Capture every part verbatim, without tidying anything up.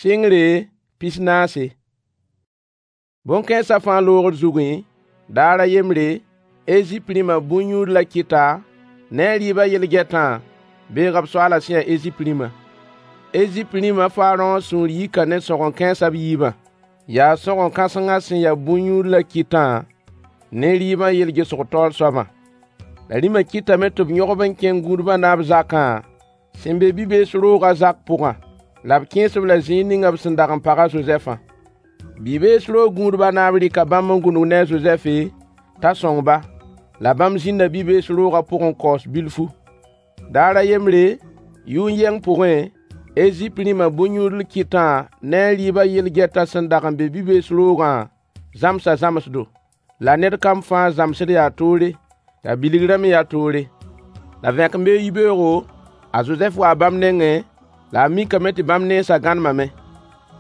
Sɩngre pis-naase. Bõn-kãensã fãa loogr zugẽ, daar a yembre, Ezip rĩmã bõn-yũudl a kɩta ne a rɩɩbã yel-gɛtã beega b soaalã sẽn ya Ezip rĩmã. Ezip rĩm a Farõ sũur yika ne sõgen-kãensã b yiibã. Yaa sõgen-kãsengã sẽn ya bõn-yũudl a kɩtã ne rɩɩbã yel-gesg taoor soabã. La rĩmã kɩtame tɩ b yõg-b n kẽng gũudbã naab zakã sẽn be bi-bees roogã zak pʋgã. La b kẽes-b la zĩig ning b sẽn dag n pag a Zozɛfã. Bi-bees roog gũudbã naab rɩka bãmb n gũnug ne a Zozɛfe t'a sõng-ba, la bãmb zĩnda bi-bees roogã pʋgẽ n kaoos bilfu. Daar a yembre, yʋn-yɛng pʋgẽ, Ezip rĩmã bõn-yũudl kɩtã ne a rɩɩbã yel-gɛtã sẽn dag n be bi-bees roogã zãmsa zãmsdo. La ned kam fãa zãmsd yaa toore, la bilgrã me yaa toore. La vẽkembeoog yibeoogo, a Zozɛf waa bãmb nengẽ, la a mikame tɩ bãmb nensã gãnemame.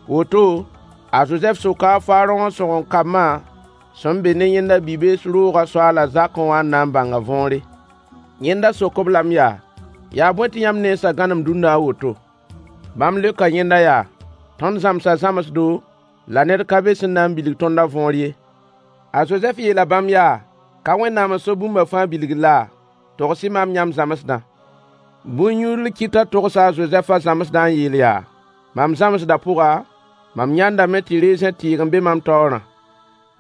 Woto, a Zozɛf soka a Farõ sõgen-kambã sẽn be ne yẽnda bi-bees roogã soaalã zakẽ wã n na n bãng a võore. Yẽnda sok-b lame yaa: Yaa bõe tɩ yãmb nensã gãnem dũnna a woto? Bãmb leoka yẽnda yaa: Tõnd zãmsa zãmsdo, la ned ka be sẽn na n bilg tõnd a võor ye. A Zozɛf yeela bãmb yaa: Ka Wẽnnaam n so bũmba fãa bilgr laa? Togs-y maam yãmb zãmsdã. Bõn-yũudl kɩtã togsa a Zozɛfã zãmsdã n yeel yaa: Mam zãmsdã pʋga, mam yãndame tɩ rezẽ tɩɩg n be mam taoorã.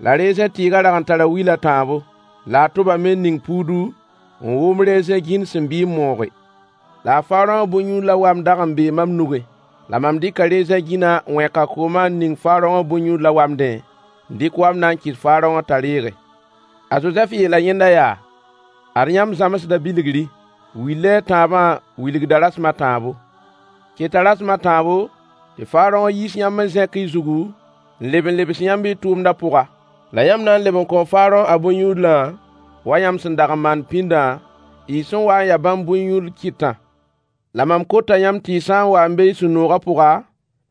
La rezẽ tɩɩgã rag n tara wil a tãabo, la a tʋbame n ning puudu n wʋm rezẽ gĩnd sẽn bii n mooge. La a Farõ bõn-yũudlã wam dag n bee mam nugẽ. La mam dɩka rezẽ gĩnã n wẽk a koomã n ning Farõ bõn-yũudlã wamdẽ, n dɩk wamdã n kɩt Farõ t'a reege. A Zozɛf yeela yẽnda yaa: Ad yãmb zãmsdã bilgri: Wil la a tãabã wilgda rasem a tãabo. Keta rasem a tãabo tɩ Farõ yiis yãmb n zẽk y zugu n leb n lebs yãmb y tʋʋmdã pʋga. La yãmb na n leb n kõo Farõ a bõn-yũudlã wa yãmb sẽn dag n maand pĩndã, y sẽn wa n ya bãmb bõn-yũudl kɩtã. La mam kota yãmb tɩ y sã n wa n be y sũ-noogã pʋga,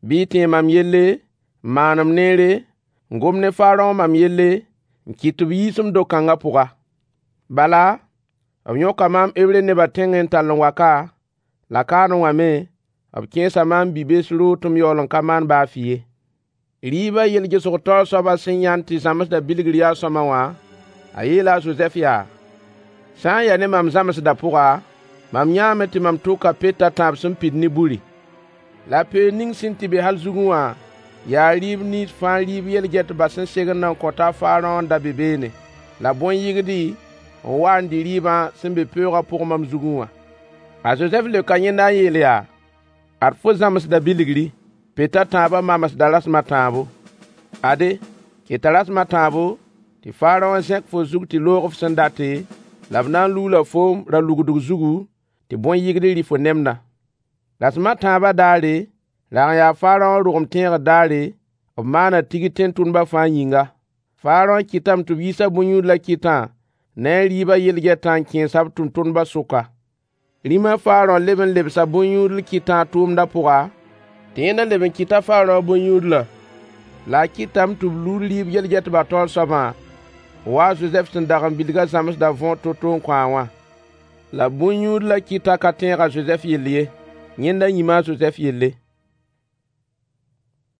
bɩ y tẽeg mam yelle, n maan m neere, n gom ne Farõ mam yelle, n kɩt tɩ b yiis m do-kãngã pʋga. Bala, b yõka maam Hebre nebã tẽngẽ n tall n wa ka, la kaanẽ wã me, b kẽesa maam bi-bees roog tɩ m yaool n ka maan baa fɩ ye. Rɩɩbã yel-gesg taoor soabã sẽn yãnd tɩ zãmsdã bilgr yaa sõama wã, a yeela a Zozɛf yaa: Sã n ya ne mam zãmsdã pʋga, mam yãame tɩ mam tʋka pet a tãab sẽn pid ne buri. La peoog ning sẽn tɩ be hal zugẽ wã yaa rɩɩb nins fãa rɩɩb yel-gɛtbã sẽn segend n kõta a Farõ n da be beene. La bõn-yɩgd n wa n dɩ rɩɩbã sẽn be peoogã pʋgẽ mam zugẽ wã. A Zozɛf leoka yẽnda n yeel yaa: Ad fo zãmsdã bilgri: Pet a tãabã mamsda rasem a tãabo. Ade, keta rasem a tãabo tɩ Farõ zẽk fo zug tɩ loog f sẽn date, la b na n lugla foom ra-lugdg zugu tɩ bõn-yɩgd rɩ fo nemdã. Rasem a tãabã daare, rag n yaa Farõ rogem tẽegr daare, b maana tigr tẽn-tʋmdbã fãa yĩnga. Farõ kɩtame tɩ b yiis a bõn-yũudl a kɩtã ne a rɩɩbã yel-gɛtã n kẽes-a b tʋmtʋmdbã sʋka. Rĩm a Farõ leb n lebsa bõn-yũudl kɩtã a tʋʋmdã pʋga, tɩ yẽnda leb n kɩt a Farõ bõn-yũudlã. La a kɩtame tɩ b lud rɩɩb yel-gɛtbã taoor soabã, wa a Zozɛf sẽn dag n bilg a zãmsdã võor to-to n kõ-a wã. La bõn-yũudl a kɩtã ka tẽeg a Zozɛf yell ye. Yẽnda yĩma a Zozɛf yelle.